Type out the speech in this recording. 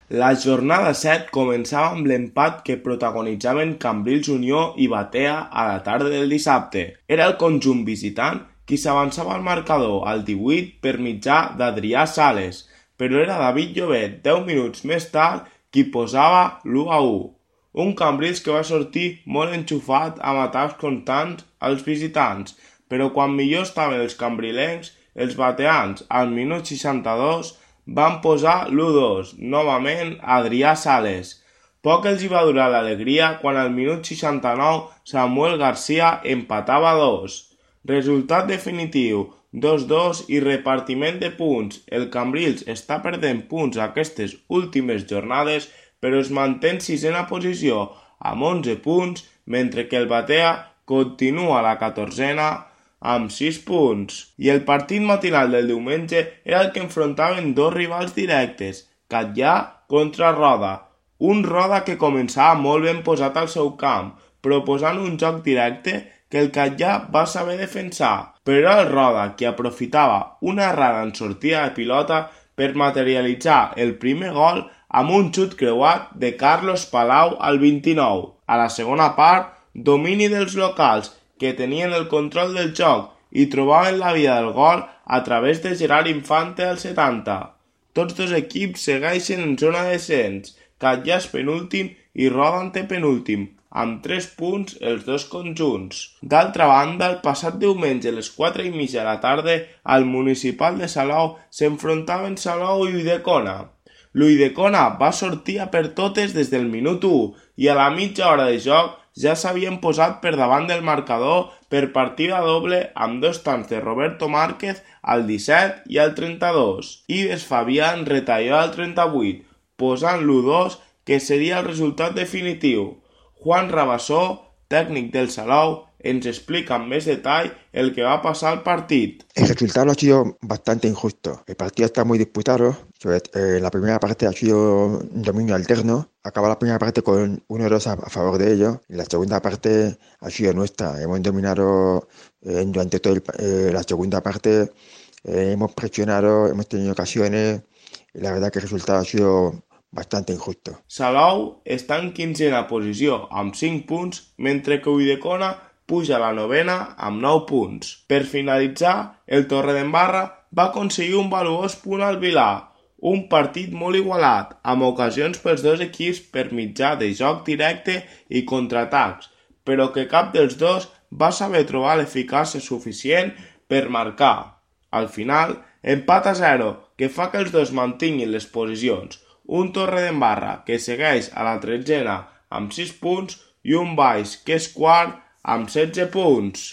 La jornada 7 començava amb l'empat que protagonitzaven Cambrils Unió i Batea a la tarda del dissabte. Era el conjunt visitant qui s'avançava al marcador al 18 per mitjà d'Adrià Sales, però era David Llobet, 10 minuts més tard, qui posava l'1-1. Un Cambrils que va sortir molt enxufat amb atacs constants als visitants, però quan millor estaven els cambrilencs, els bateans, al minut 62, van posar l'1-2, novament Adrià Sales. Poc els hi va durar l'alegria quan al minut 69 Samuel García empatava 2. Resultat definitiu, 2-2 i repartiment de punts. El Cambrils està perdent punts aquestes últimes jornades, però es manté en sisena posició amb 11 punts, mentre que el Batea continua a la 14a amb 6 punts. I el partit matinal del diumenge era el que enfrontaven dos rivals directes, Catllà contra Roda. Un Roda que començava molt ben posat al seu camp, proposant un joc directe que el Catllà va saber defensar, però era el Roda qui aprofitava una errada en sortida de pilota per materialitzar el primer gol amb un xut creuat de Carlos Palau al 29. A la segona part, domini dels locals, que tenien el control del joc i trobaven la via del gol a través de Gerard Infante al 70. Tots dos equips segueixen en zona de descens, Catllà és penúltim i Roda antepenúltim, amb 3 punts els dos conjunts. D'altra banda, el passat diumenge a les 4:30 de la tarda, al Municipal de Salou s'enfrontaven Salou i Ulldecona. L'Ulldecona va sortir a per totes des del minut 1 i a la mitja hora de joc ja s'havien posat per davant del marcador per partida doble amb 2 tancs de Roberto Márquez al 17 i al 32. Ives Fabián retalló al 38, posant l'1-2 que seria el resultat definitiu. Juan Rabassó, tècnic del Salou, ens explica en más detall el que va a pasar al partido. El resultado ha sido bastante injusto. El partido está muy disputado. La primera parte ha sido un dominio alterno. Acaba la primera parte con 1-2 a favor de ellos. Y la segunda parte ha sido nuestra. Hemos dominado durante toda la segunda parte. Hemos presionado, hemos tenido ocasiones. Y la verdad que el resultado ha sido bastante injusto. Salou està en 15a posició amb 5 punts, mentre que Ulldecona puja a la 9a amb 9 punts. Per finalitzar, el Torredembarra va aconseguir un valuós punt al Vilà, un partit molt igualat, amb ocasions pels dos equips per mitjà de joc directe i contraatacs, però que cap dels dos va saber trobar l'eficàcia suficient per marcar. Al final, empat a 0, que fa que els dos mantinguin les posicions, un Torredembarra que segueix a la 13a amb 6 punts i un Baix que és quart amb 16 punts.